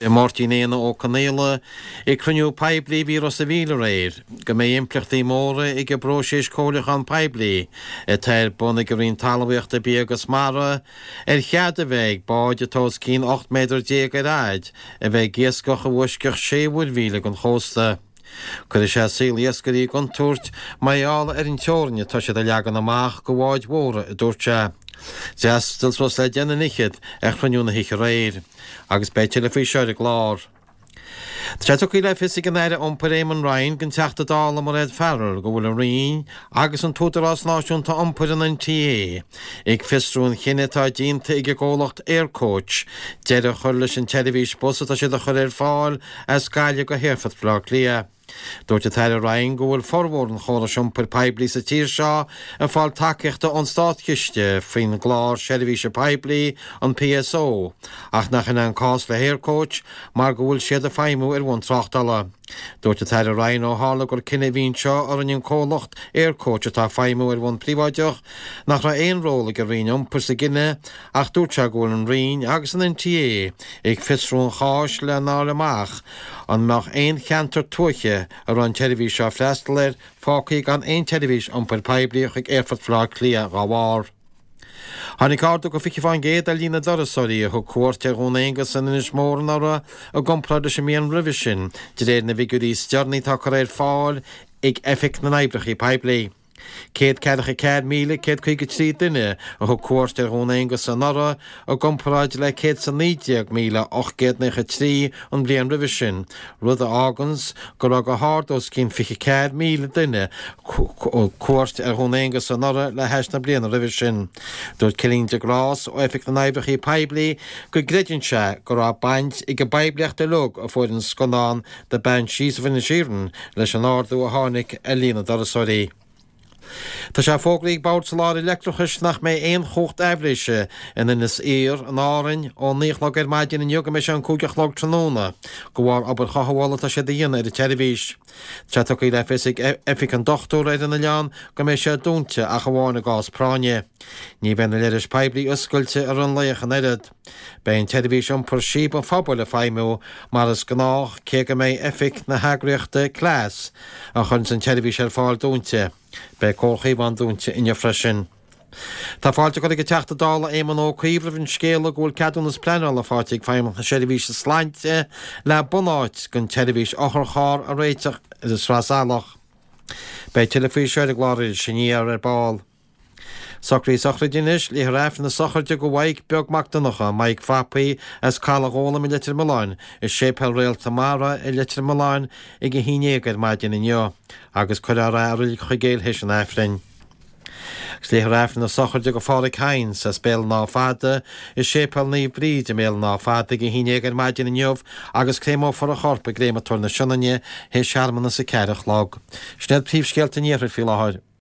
Máirtín Éanna Ó Conaola ag cruinniú poiblí a bhí i Ros a' Mhíl aréir go mbeidh impleachtaí móra ag an bpróiseas comhairliúchán poiblí atá ar bun ag an Roinn Talmhaíochta, Bia agus Mara ar chead a bheith ag báid atá os cionn 18 méadar ar fhaid a bheith ag iascach i bhfoisceacht sé mhuirmhíle den chósta. Cuirfidh sé saol iascairí i gcontúirt mar gheall ar an teorainn atá siad a leagan amach do bháid mhóra, a dúirt sé. D'fhreastail suas le deich nduine fhichead ar chruinniú na hoíche aréir agus beidh tuilleadh faoi seo ar an gclár. Tá sé tugtha le fios ag an Aire Iompair Eamon Ryan don Teachta Dála Mairéad Farrell go bhfuil an Roinn agus an tÚdarás Náisiúnta Iompair, an NTA, ag fiosrú an chinnidh atá déanta ag an gcomhlacht Aircoach deireadh a chur leis an tseirbhís bus atá siad a chur ar fáil as Gaillimh go hAerfort Bhaile Átha Cliath. Dúirt an tAire Ryan go bhfuil formhór an chórais iompair poiblí sa tír seo ag fáil tacaíochta ón státchiste faoin gClár Seirbhíse Poiblí, an PSO, ach nach in é an cás le hAircoach mar go bhfuil siad ag feidhmiú ar bhonn tráchtála. Dúirt an tAire Ryan ó tharla gur cinneadh a bhí anseo a rinne an comhlacht Aircoach atá ag feidhmiú ar bhonn príobháideach nach raibh aon ról ag an Roinn Iompair sa gcinneadh ach dúirt sé go bhfuil an Roinn agus an NTA ag fiosrú an cháis lena fháil amach an mbeadh aon cheantar tuaithe a raibh an tseirbhís seo ag freastal air fágtha gan aon tseirbhís iompair poiblí chuig Aerfort Bhaile Átha Cliath dá bharr. Tháinig ardú go 20% ar líon na dturasóirí a thug cuairt ar Dhún Aonghasa in Inis Mór anuraidh i gcomparáid leis an mbliain roimhe sin, de réir na bhfigiúirí is deireanaí atá curtha ar fáil ag Oifig na nOibreacha Poiblí. 144,153 duine a thug cuairt ar Dhún Aonghasa anuraidh, i gcomparáid le 119,893 an bhliain roimhe sin, rud a fháganns go raibh go hard os cionn 24,000 duine cuairt ar Dhún Aonghasa anuraidh le hais na bliana roimhe sin. Dúirt Cillian de Grás ó Oifig na nOibreacha Poiblí go gcreideann sé go raibh baint ag an bpoiblíocht uilig a fuair an scannán The Banshees of Inisherin leis an ardú a tháinig ar líon na dturasóirí. Tá sé fógraithe ag Bord Soláthair Leictreachais nach mbeidh aon chumhacht aibhléise in Inis Oírr, in Árainn, ón 9 a chlog ar maidin inniu go mbeidh sé an 5 a chlog tráthnóna, de bharr obair chothabhála atá siad a dhéanamh ar an tseirbhís. Tá sé tugtha le fios ag Oifig an Dochtúra ar an oileán go mbeidh sé dúnta ach amháin i gcás práinne. Ní bheidh na leithris poiblí oscailte i rith an lae ach an oiread. Beidh an tseirbhís iompair Síob an Phobail ag feidhmiú mar is gnách cé go mbeidh oifig na heagraíochta Cleas, a chuireanns an tseirbhís ar fáil dúnta. Beidh Comhar Chaomhán dúnta inniu freisin. Tá fáilte curtha ag an Teachta Dála Éamon Ó Cuív roimh an scéala go bhfuil ceadúnas pleanála faighte ag Feidhmeannacht na Seirbhíse Sláinte le bunáit don tseirbhís otharcharr a réiteach ar an Sraith Salach. Beidh tuilleadh faoi seo ar an gclár Iris Aniar ar ball. Socruithe sochraide anois, Léifear Aifreann na sochraide do Mhaidhc Beag Mac Donncha, Maidhc Phapaí, as Caladh Ghólam i Leitir Mealláin, i Séipéal Réalta Mara i Leitir Mealláin ag a 11 ar maidin inniu, agus cuirfear é i Reilig Chuigéil théis an Aifrinn. Agus léifear Aifreann na sochraide do Pháraic Hynes as Béal an Átha Fada i Séipéal Naomh Bríd i mBéal an Átha Fada ag a 11 ar maidin inniu agus créamófar a chorp i gCréamatóir na Sionainne théis searmanas a 4 a chlog. Sin iad príomhscéalta an iarthair faoi láthair.